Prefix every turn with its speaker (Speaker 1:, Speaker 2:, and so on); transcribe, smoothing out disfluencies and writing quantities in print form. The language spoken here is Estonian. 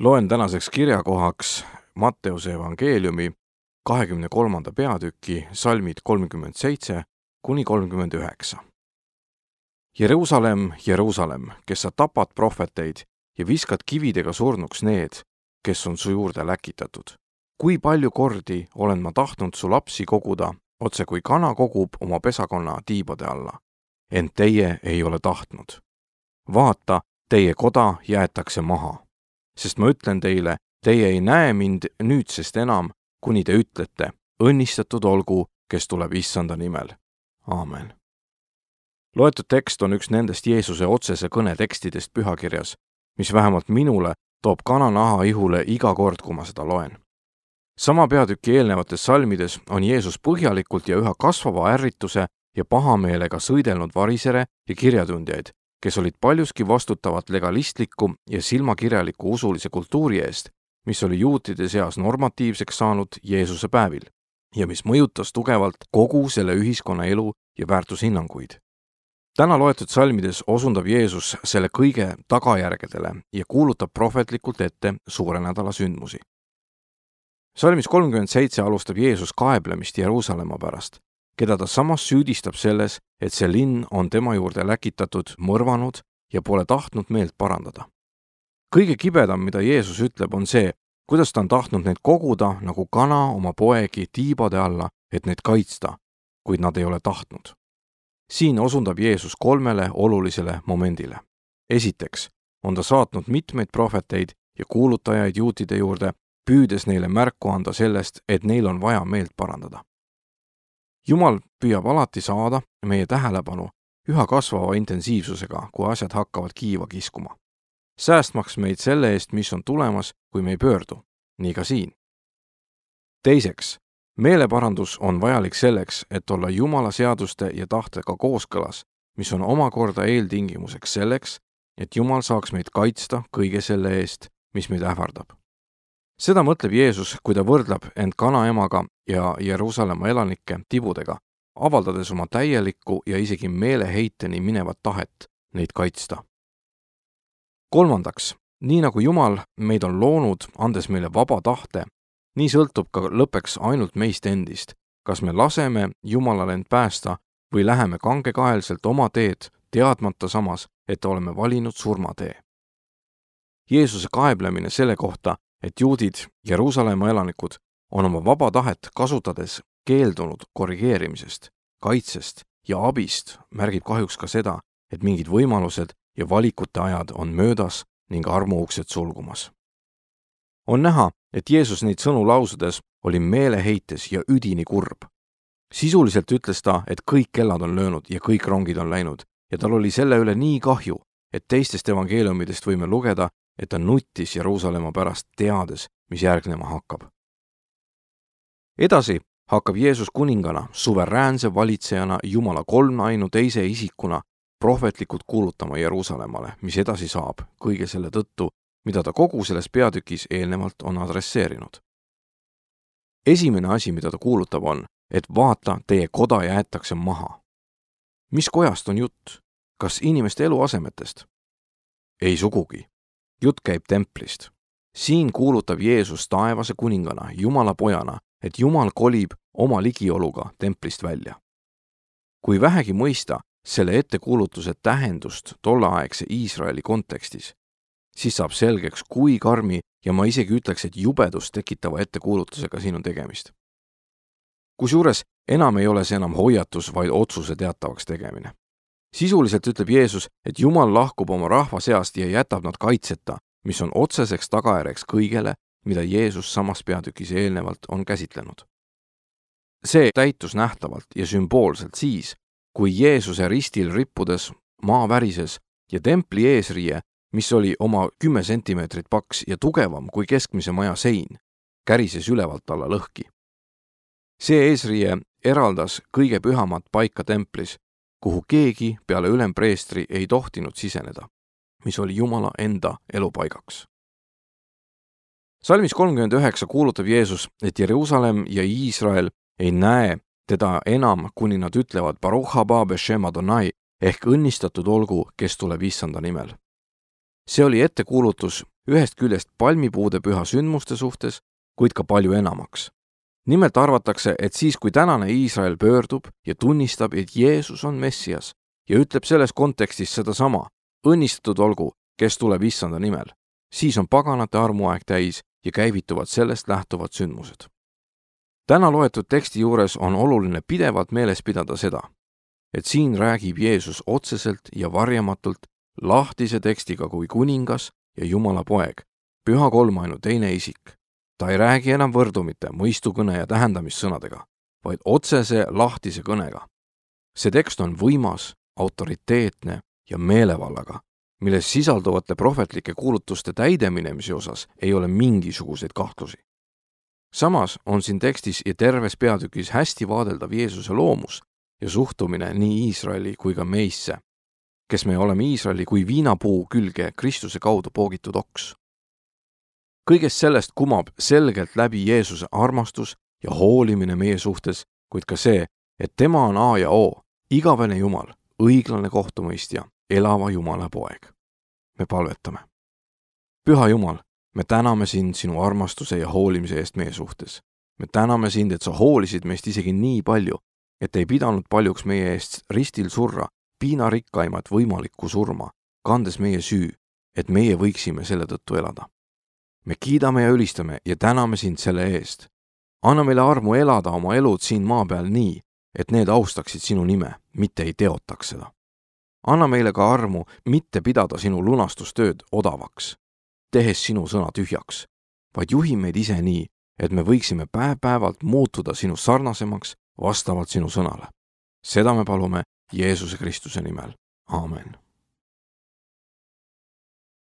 Speaker 1: Loen tänaseks kirjakohaks Matteuse evangeeliumi 23. peatüki salmid 37 kuni 39. Jeruusalemm, Jeruusalemm, kes sa tapad prohveteid ja viskad kividega surnuks need, kes on su juurde läkitatud. Kui palju kordi olen ma tahtnud su lapsi koguda, otse kui kana kogub oma pesakonna tiibade alla. Ent teie ei ole tahtnud. Vaata, teie koda jäetakse maha. Sest ma ütlen teile, teie ei näe mind nüüdsest enam, kuni te ütlete, õnnistatud olgu, kes tuleb Issanda nimel. Aamen. Loetud tekst on üks nendest Jeesuse otsese kõne tekstidest pühakirjas, mis vähemalt minule toob kananaha ihule iga kord, kui ma seda loen. Sama peatüki eelnevates salmides on Jeesus põhjalikult ja üha kasvava ärrituse ja pahameelega sõidelnud varisere ja kirjatundjaid, kes olid paljuski vastutavad legalistliku ja silmakirjaliku usulise kultuuri eest, mis oli juutide seas normatiivseks saanud Jeesuse päevil ja mis mõjutas tugevalt kogu selle ühiskonna elu ja väärtushinnanguid. Täna loetud salmides osundab Jeesus selle kõige tagajärgedele ja kuulutab prohvetlikult ette suure nädala sündmusi. Salmis 37 alustab Jeesus kaeblemist Jeruusalemma pärast, keda ta samas süüdistab selles, et see linn on tema juurde läkitatud, mõrvanud ja pole tahtnud meelt parandada. Kõige kibedam, mida Jeesus ütleb, on see, kuidas ta on tahtnud neid koguda nagu kana oma poegi tiibade alla, et neid kaitsta, kuid nad ei ole tahtnud. Siin osundab Jeesus 3 olulisele momendile. Esiteks on ta saatnud mitmeid prohveteid ja kuulutajaid juutide juurde, püüdes neile märku anda sellest, et neil on vaja meelt parandada. Jumal püüab alati saada meie tähelepanu üha kasvava intensiivsusega, kui asjad hakkavad kiiva kiskuma. Säästmaks meid selle eest, mis on tulemas, kui me ei pöördu. Nii ka siin. Teiseks, meeleparandus on vajalik selleks, et olla Jumala seaduste ja tahtega kooskõlas, mis on omakorda eeltingimuseks selleks, et Jumal saaks meid kaitsta kõige selle eest, mis meid ähvardab. Seda mõtleb Jeesus, kui ta võrdleb end kanaemaga ja Jeruusalemma elanikke tibudega, avaldades oma täielikku ja isegi meeleheiteni minevat tahet neid kaitsta. Kolmandaks, nii nagu Jumal meid on loonud, andes meile vaba tahte, nii sõltub ka lõppeks ainult meist endist, kas me laseme Jumalal end päästa või läheme kangekaelselt oma teed, teadmata samas, et oleme valinud surmatee. Jeesuse kaeblemine selle kohta, et juudid, Jeruusalemma elanikud, on oma vaba tahet kasutades keeldunud korrigeerimisest, kaitsest ja abist, märgib kahjuks ka seda, et mingid võimalused ja valikute ajad on möödas ning armuuksed sulgumas. On näha, et Jeesus neid sõnu lausudes oli meeleheites ja üdini kurb. Sisuliselt ütles ta, et kõik kellad on löönud ja kõik rongid on läinud ja tal oli selle üle nii kahju, et teistest evangeeliumidest võime lugeda, et ta nuttis Jeruusalemma pärast teades, mis järgnema hakkab. Edasi hakkab Jeesus kuningana, suveräänse valitsejana, Jumala kolmainu teise isikuna prohvetlikult kuulutama Jeruusalemmale, mis edasi saab kõige selle tõttu, mida ta kogu selles peatükis eelnevalt on adresseerinud. Esimene asi, mida ta kuulutab, on, et vaata, teie koda jäetakse maha. Mis kojast on jutt? Kas inimeste eluasemetest? Ei sugugi. Jutt käib templist. Siin kuulutab Jeesus taevase kuningana, Jumala pojana, et Jumal kolib oma ligioluga templist välja. Kui vähegi mõista selle ettekuulutuse tähendust tolleaegse Iisraeli kontekstis, siis saab selgeks, kui karmi ja ma isegi ütleks, et jubedust tekitava ettekuulutusega siin on tegemist. Kusjuures enam ei ole see enam hoiatus, vaid otsuse teatavaks tegemine. Sisuliselt ütleb Jeesus, et Jumal lahkub oma rahva seast ja jätab nad kaitseta, mis on otseseks tagajärjeks kõigele, mida Jeesus samas peatükis eelnevalt on käsitlenud. See täitus nähtavalt ja sümboolselt siis, kui Jeesuse ristil rippudes maa värises ja templi eesriie, mis oli oma 10 sentimeetrit paks ja tugevam kui keskmise maja sein, kärises ülevalt alla lõhki. See eesriie eraldas kõige pühamat paika templis, kuhu keegi peale ülempreestri ei tohtinud siseneda, mis oli Jumala enda elupaigaks. Salmis 39 kuulutab Jeesus, et Jeruusalemm ja Iisrael ei näe teda enam, kuni nad ütlevad Baruch haba b'shem Adonai ehk õnnistatud olgu, kes tuleb Issanda nimel. See oli ettekuulutus ühest küljest palmipuude püha sündmuste suhtes, kuid ka palju enamaks. Nimelt arvatakse, et siis, kui tänane Iisrael pöördub ja tunnistab, et Jeesus on Messias ja ütleb selles kontekstis sedasama, õnnistatud olgu, kes tuleb issanda nimel, siis on paganate armuaeg täis ja käivituvad sellest lähtuvad sündmused. Täna loetud teksti juures on oluline pidevalt meeles pidada seda, et siin räägib Jeesus otseselt ja varjamatult lahtise tekstiga kui kuningas ja Jumala poeg, püha kolmainu teine isik. Ta ei räägi enam võrdumite, mõistukõne ja tähendamissõnadega, vaid otsese lahtise kõnega. See tekst on võimas, autoriteetne ja meelevallaga, milles sisalduvate prohvetlike kuulutuste täideminemise osas ei ole mingisuguseid kahtlusi. Samas on siin tekstis ja terves peatükis hästi vaadeldav Jeesuse loomus ja suhtumine nii Iisraeli kui ka meisse, kes me oleme Iisraeli kui viinapuu külge Kristuse kaudu poogitud oks. Kõigest sellest kumab selgelt läbi Jeesuse armastus ja hoolimine meie suhtes, kuid ka see, et tema on A ja O, igavene Jumal, õiglane kohtumõistja, elava Jumala poeg. Me palvetame. Püha Jumal, me täname sind sinu armastuse ja hoolimise eest meie suhtes. Me täname sind, et sa hoolisid meist isegi nii palju, et ei pidanud paljuks meie eest ristil surra, piinarikkaimat võimalikku surma, kandes meie süü, et meie võiksime selle tõttu elada. Me kiidame ja ülistame ja täname sind selle eest. Anna meile armu elada oma elud siin maa peal nii, et need austaksid sinu nime, mitte ei teotaks seda. Anna meile ka armu mitte pidada sinu lunastustööd odavaks, tehes sinu sõna tühjaks, vaid juhi meid ise nii, et me võiksime päev-päevalt muutuda sinu sarnasemaks vastavalt sinu sõnale. Seda me palume Jeesuse Kristuse nimel. Aamen.